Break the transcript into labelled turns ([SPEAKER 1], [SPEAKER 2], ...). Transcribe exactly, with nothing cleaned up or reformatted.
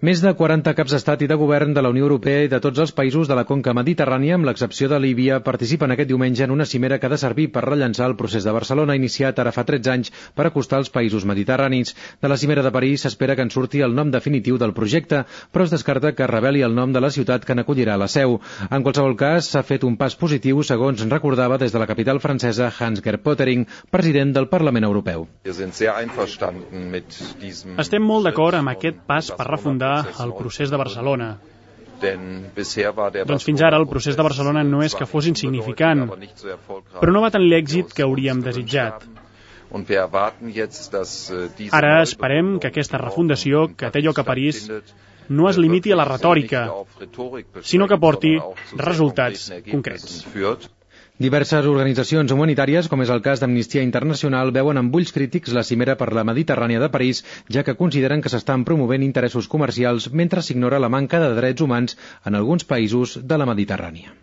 [SPEAKER 1] Més de quaranta caps d'estat i de govern de la Unió Europea i de tots els països de la conca mediterrània, amb l'excepció de Líbia, participen aquest diumenge en una cimera que ha de servir per rellançar el procés de Barcelona iniciat ara fa tretze anys per acostar els països mediterranis. De la cimera de París s'espera que en surti el nom definitiu del projecte, però es descarta que reveli el nom de la ciutat que n'acollirà la seu. En qualsevol cas, s'ha fet un pas positiu, segons recordava des de la capital francesa Hans-Gert Pöttering, president del Parlament Europeu.
[SPEAKER 2] Estem molt d'acord amb aquest pas per refundar el procés de Barcelona. Doncs fins ara el procés de Barcelona no és que fos insignificant, però no va tenir l'èxit que hauríem desitjat. Ara esperem que aquesta refundació, que té lloc a París, no es limiti a la retòrica, sinó que porti resultats concrets.
[SPEAKER 1] Diverses organitzacions humanitàries, com és el cas d'Amnistia Internacional, veuen amb ulls crítics la cimera per la Mediterrània de París, ja que consideren que s'estan promovent interessos comercials mentre s'ignora la manca de drets humans en alguns països de la Mediterrània.